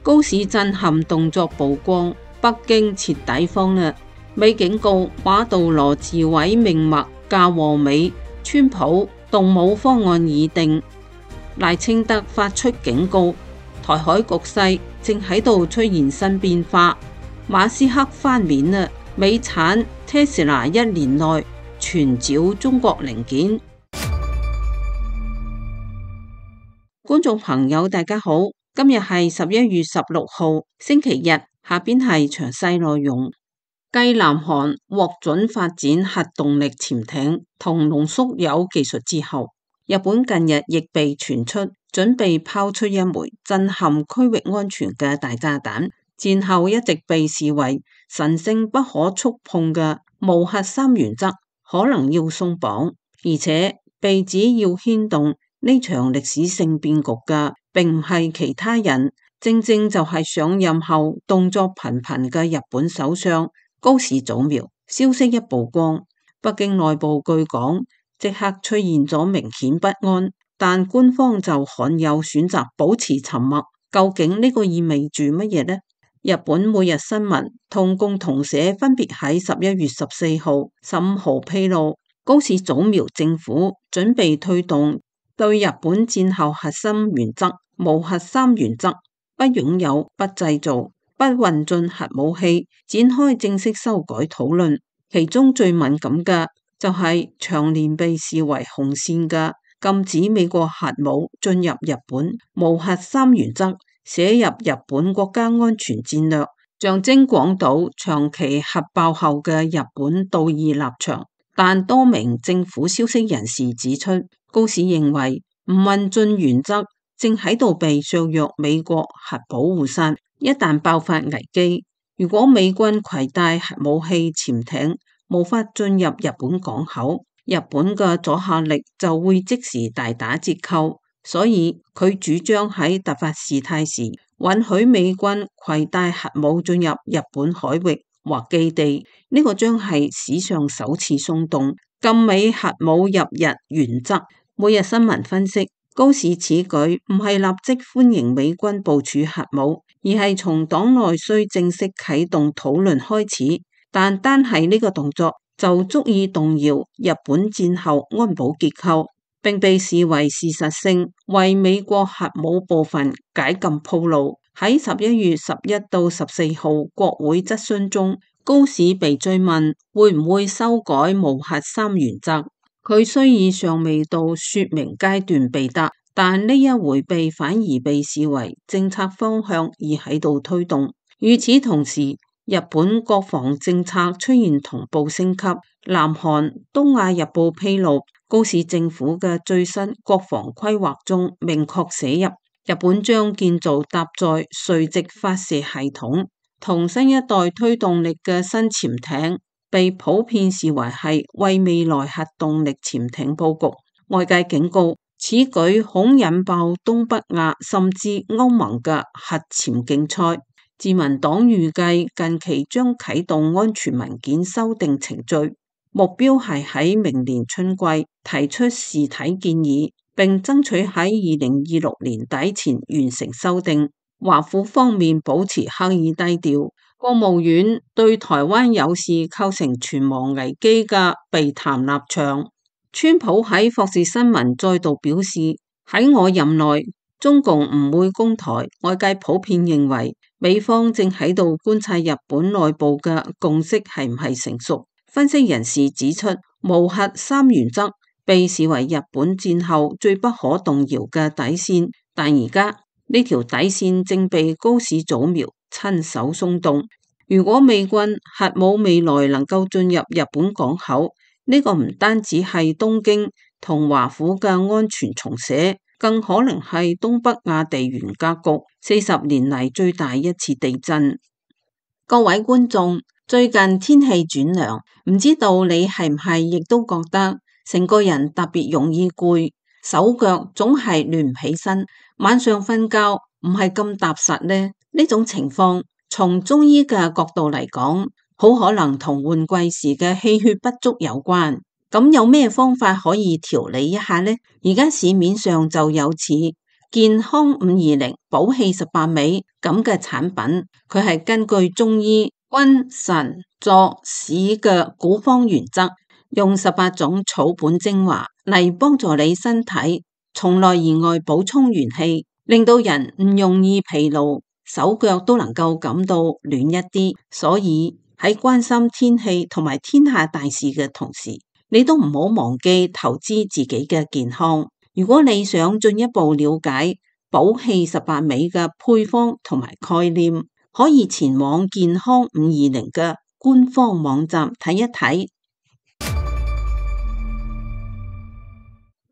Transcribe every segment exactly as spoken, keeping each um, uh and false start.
高市震撼動作曝光，北京徹底慌啦。美警告馬杜羅自毀命脈，嫁禍美。川普動武方案已定。賴清德發出警告，台海局勢正喺度出現新變化。馬斯克翻面啦，美產 Tesla 一年內全找中國零件。觀眾朋友大家好，今日係十一月十六號星期日，下邊係詳細內容。繼南韓獲准發展核動力潛艇同濃縮鈾技術之後，日本近日亦被傳出準備拋出一枚震撼區域安全嘅大炸彈。戰後一直被視為神聖不可觸碰嘅無核三原則可能要鬆綁，而且被指要牽動呢場歷史性變局嘅，並唔係其他人，正正就係上任後動作頻頻嘅日本首相高市早苗。消息一曝光，北京內部據講即刻出現咗明顯不安，但官方就罕有選擇保持沉默。究竟呢個意味住乜嘢呢？日本每日新聞同共同社分別喺十一月十四號、十五號披露，高市早苗政府準備推動對日本戰後核心原則無核三原則，不擁有、不製造、不運進核武器展開正式修改討論。其中最敏感嘅就係長年被視為紅線嘅禁止美國核武進入日本無核三原則寫入日本國家安全戰略，象徵廣島長期核爆後嘅日本道義立場。但多名政府消息人士指出，高市認為唔運進原則正喺度被削弱美國核保護傘。一旦爆發危機，如果美軍攜帶核武器潛艇無法進入日本港口，日本嘅阻嚇力就會即時大打折扣。所以佢主張喺突發事態時允許美軍攜帶核武進入日本海域或基地，呢、這個將係史上首次鬆動禁美核武入日原則。每日新聞分析，高市此舉唔係立即歡迎美軍部署核武，而係從黨內需正式啟動討論開始。但單係呢個動作就足以動搖日本戰後安保結構，並被視為事實性為美國核武部分解禁鋪路。喺十一月十一到十四號國會質詢中，高市被追問會唔會修改無核三原則，佢雖已尚未到說明階段被答，但呢一回避反而被視為政策方向而喺度推動。與此同時，日本國防政策出現同步升級。南韓東亞日報披露，高市政府嘅最新國防規劃中明確寫入，日本將建造搭載垂直發射系統同新一代推動力嘅新潛艇，被普遍視為係為未來核動力潛艇佈局。外界警告，此舉恐引爆東北亞甚至歐盟嘅核潛競賽。自民黨預計近期將啟動安全文件修訂程序，目標係喺明年春季提出試體建議，並爭取喺二零二六年底前完成修訂。華府方面保持刻意低調，國務院對台灣有事構成存亡危機嘅避談立場。川普喺霍士新聞再度表示，喺我任內，中共唔會攻台。外界普遍認為，美方正喺度觀察日本內部嘅共識係唔係成熟。分析人士指出，無核三原則被視為日本戰後最不可動搖嘅底線，但而家呢條底線正被高市早苗親手鬆動。如果美軍核武未來能夠進入日本港口，呢、這個唔單止係東京同華府嘅安全重寫，更可能係東北亞地緣格局四十年嚟最大一次地震。各位觀眾，最近天氣轉涼，唔知道你係唔係亦都覺得成個人特別容易攰，手腳總係亂唔起身，晚上瞓覺唔係咁踏實呢？呢種情況從中醫嘅角度嚟講，好可能同換季時嘅氣血不足有關。咁有咩方法可以調理一下呢？而家市面上就有似健康五二零、補氣十八味、咁嘅產品，佢係根據中醫君臣佐使嘅古方原則，用十八種草本精華嚟幫助你身體從內而外補充元氣，令到人唔容易疲勞，手腳都能夠感到暖一啲。所以喺關心天氣同埋天下大事嘅同時，你都唔好忘記投資自己嘅健康。如果你想進一步了解補氣十八味嘅配方同埋概念，可以前往健康五二零嘅官方網站睇一睇。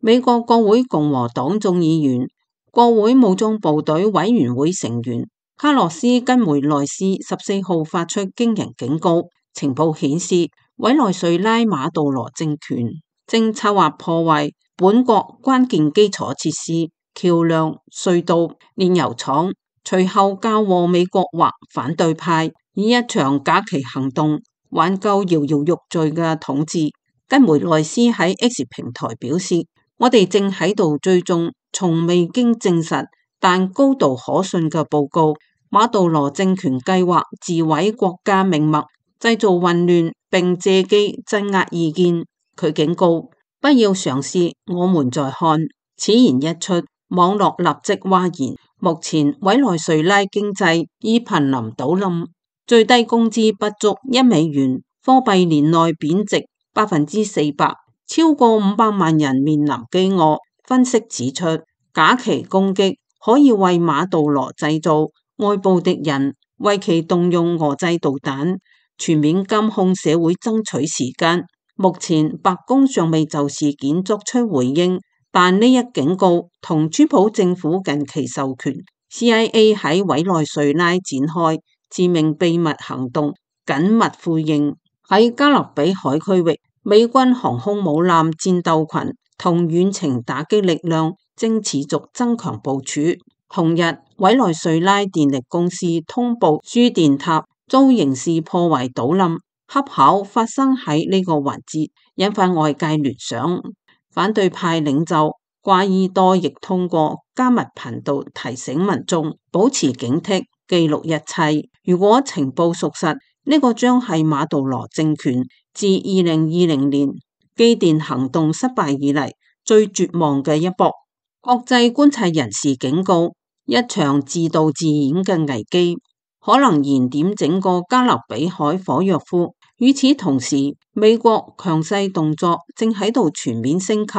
美國國會共和黨眾議員、國會武裝部隊委員會成員卡洛斯根梅內斯十四號發出驚人警告，情報顯示委內瑞拉馬杜羅政權正策劃破壞本國關鍵基礎設施、橋樑、隧道、煉油廠，隨後交禍美國或反對派，以一場假旗行動挽救搖搖欲墜嘅統治。根梅內斯喺 X 平台表示，我哋正喺度追蹤從未經證實但高度可信嘅報告，馬杜羅政權計劃自毀國家命脈，製造混亂並借機鎮壓意見。佢警告，不要嘗試，我們在看。此言一出，網絡立即譁然。目前委內瑞拉經濟已瀕臨倒冧，最低工資不足一美元，貨幣年內貶值百分之四百，超過五百萬人面臨饑餓。分析指出，假旗攻擊可以為馬杜羅製造外部敵人，為其動用俄製導彈，全面監控社會爭取時間。目前白宮尚未就事件作出回應，但呢一警告同川普政府近期授權 C I A 喺委內瑞拉展開致命秘密行動緊密呼應。喺加勒比海區域，美軍航空母艦戰鬥群同遠程打擊力量正持續增強部署。同日，委內瑞拉電力公司通報輸電塔遭刑事破壞倒冧，恰巧發生喺呢個環節，引發外界聯想。反對派領袖瓜伊多亦通過加密頻道提醒民眾保持警惕，記錄一切。如果情報屬實，呢個將係馬杜羅政權自二零二零年機電行動失敗以嚟最絕望嘅一搏。國際觀察人士警告，一場自導自演嘅危機可能燃點整個加勒比海火藥庫。與此同時，美國強勢動作正喺度全面升級。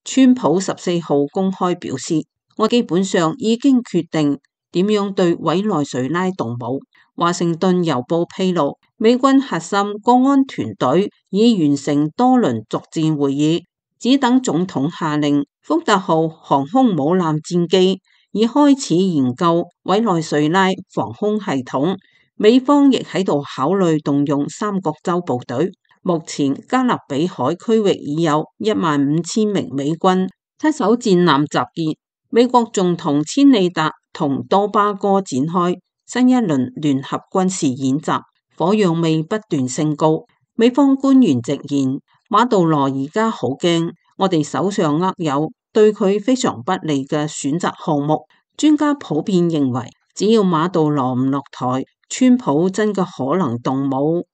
川普十四號公開表示，我基本上已經決定點樣對委內瑞拉動武。華盛頓郵報披露，美軍核心國安團隊已完成多輪作戰會議，只等總統下令。福特號航空母艦戰機已開始研究委內瑞拉防空系統，美方亦喺度考慮動用三角洲部隊。目前加勒比海區域已有一萬五千名美軍，七艘戰艦集結。美國仲同千里達同多巴哥展開新一輪聯合軍事演習，火藥味不斷升高。美方官員直言，馬杜羅而家好驚，我哋手上握有對佢非常不利嘅選擇項目。專家普遍認為，只要馬杜羅唔落台，川普真嘅可能動武。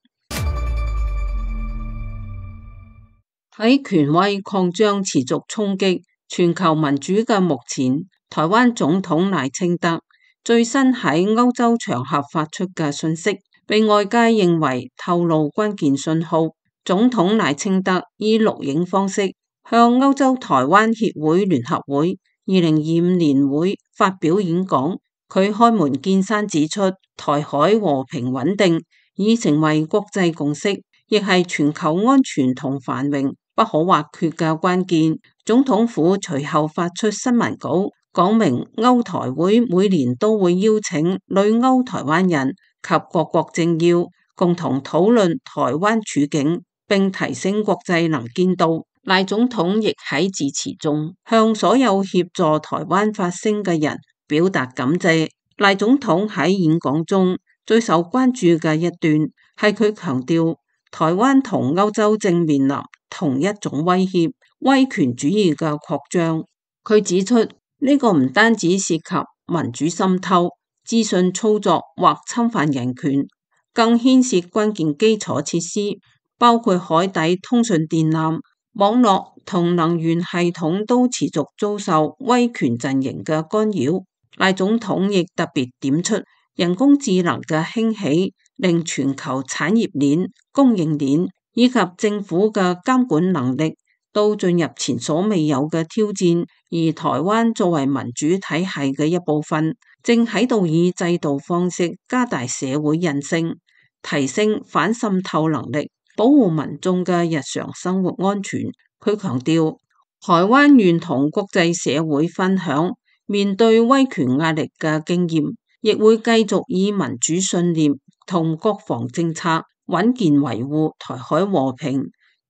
喺權威擴張持續衝擊全球民主嘅目前，台灣總統賴清德最新喺歐洲場合發出嘅訊息，被外界認為透露關鍵信號。總統賴清德以錄影方式向歐洲台灣協會聯合會二零二五年會發表演講。佢開門見山指出，台海和平穩定已成為國際共識，亦係全球安全同繁榮不可或缺嘅關鍵。總統府隨後發出新聞稿，講明歐台會每年都會邀請旅歐台灣人及各國政要共同討論台灣處境，並提升國際能見度。賴總統亦喺致辭中向所有協助台灣發聲嘅人表達感謝。賴總統喺演講中最受關注嘅一段係佢強調，台灣同歐洲正面臨同一種威脅，威權主義嘅擴張。佢指出，呢個唔單止涉及民主滲透、資訊操作或侵犯人權，更牽涉關鍵基礎設施，包括海底通訊電纜、網絡同能源系統都持續遭受威權陣營嘅干擾。賴總統亦特別點出，人工智能嘅興起令全球產業鏈、供應鏈以及政府嘅監管能力都進入前所未有嘅挑戰，而台灣作為民主體系嘅一部分，正喺度以制度方式加大社會韌性，提升反滲透能力，保護民眾嘅日常生活安全。佢強調，台灣願同國際社會分享面對威權壓力嘅經驗，亦會繼續以民主信念同國防政策穩健維護台海和平。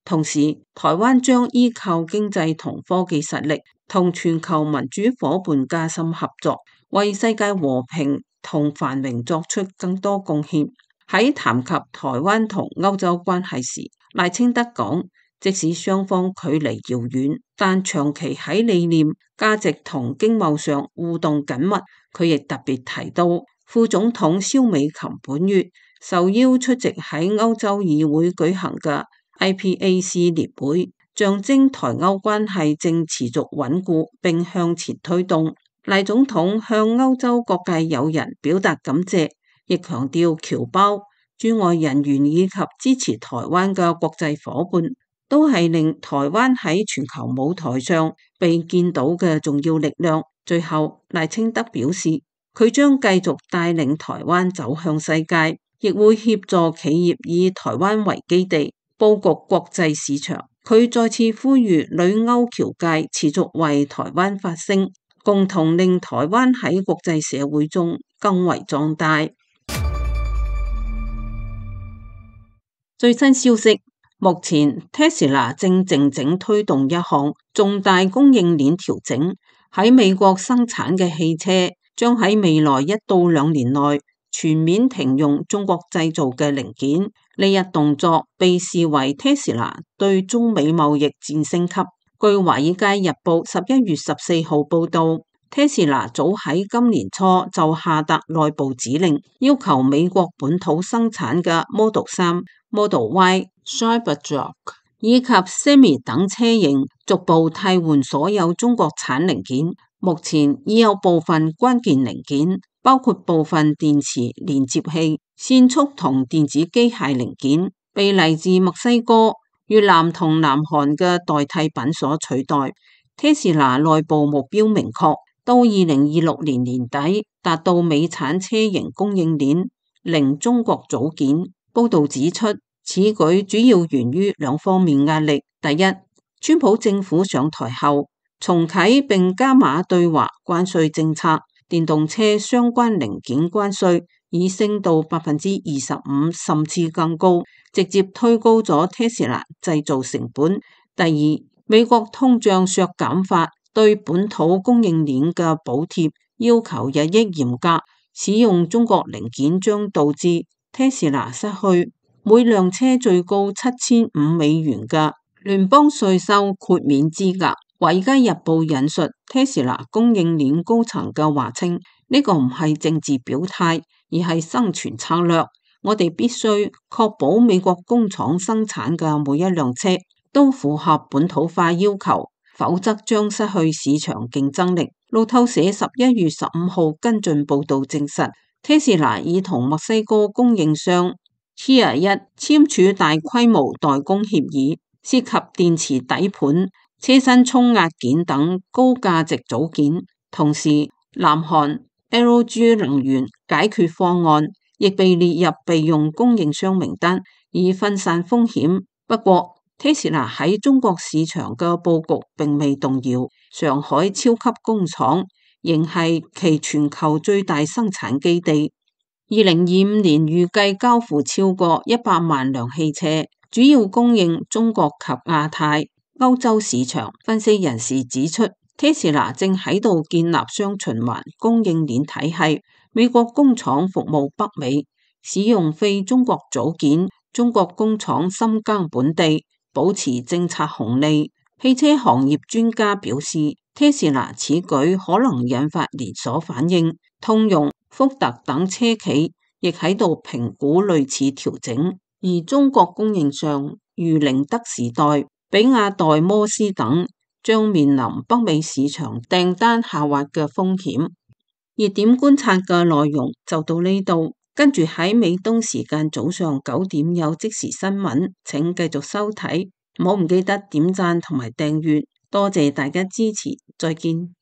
同時，台灣將依靠經濟同科技實力，同全球民主夥伴加深合作，為世界和平同繁榮作出更多貢獻。喺談及台灣同歐洲關係時，賴清德講，即使雙方距離遙遠，但長期喺理念、價值同經貿上互動緊密。佢亦特別提到，副總統蕭美琴本月受邀出席喺歐洲議會舉行嘅I P A C 年會，象徵台歐關係正持續穩固並向前推動。賴總統向歐洲各界友人表達感謝，亦強調僑胞、駐外人員以及支持台灣嘅國際夥伴，都係令台灣喺全球舞台上被見到嘅重要力量。最後，賴清德表示，佢將繼續帶領台灣走向世界，亦會協助企業以台灣為基地，佈局國際市場。佢再次呼籲旅歐僑界持續為台灣發聲，共同令台灣喺國際社會中更為壯大。最新消息，目前 Tesla 正靜靜推動一項重大供應鏈調整，喺美國生產嘅汽車將喺未來一到兩年內全面停用中國製造嘅零件。呢一動作被視為 Tesla 對中美貿易戰升級。據華爾街日報十一月十四號報道，Tesla 早喺今年初就下達內部指令，要求美國本土生產嘅 Model 三、Model Y、Cybertruck 以及 Semi 等車型逐步替換所有中國產零件。目前已有部分關鍵零件，包括部分電池連接器、線束同電子機械零件，被嚟自墨西哥、越南同南韓嘅代替品所取代。Tesla 內部目標明確，到二零二六年年底達到美產車型供應鏈零中國組件。報道指出，此舉主要源於兩方面壓力。第一，川普政府上台後重啟並加碼對華關稅政策，電動車相關零件關稅已升到百分之二十五，甚至更高，直接推高咗 Tesla 製造成本。第二，美國通脹削減法對本土供應鏈嘅補貼要求日益嚴格，使用中國零件將導致 Tesla 失去每輛車最高七千五美元嘅聯邦稅收豁免資格。華爾街日報引述 Tesla 供應鏈高層嘅話稱，呢個唔係政治表態，而係生存策略。我哋必須確保美國工廠生產嘅每一輛車都符合本土化要求，否則將失去市場競爭力。路透社十一月十五號跟進報道證實， Tesla 已同墨西哥供應商 Tier 一簽署大規模代工協議，涉及電池底盤、車身沖壓件等高價值組件。同時，南韓 L G 能源解決方案亦被列入備用供應商名單，以分散風險。不過 Tesla 喺中國市場嘅佈局並未動搖，上海超級工廠仍係其全球最大生產基地。二零二五年預計交付超過一百萬輛汽車，主要供應中國及亞太、歐洲市場。分析人士指出， Tesla 正喺度建立雙循環供應鏈體系，美國工廠服務北美，使用非中國組件，中國工廠深耕本地，保持政策紅利。汽車行業專家表示， Tesla 此舉可能引發連鎖反應，通用、福特等車企亦喺度評估類似調整。而中國供應商如寧德時代、比亞代摩斯等將面臨北美市場訂單下滑嘅風險。熱點觀察嘅內容就到呢度，跟住喺美東時間早上九點有即時新聞，請繼續收睇，唔好唔記得點讚同埋訂閱，多謝大家支持，再見。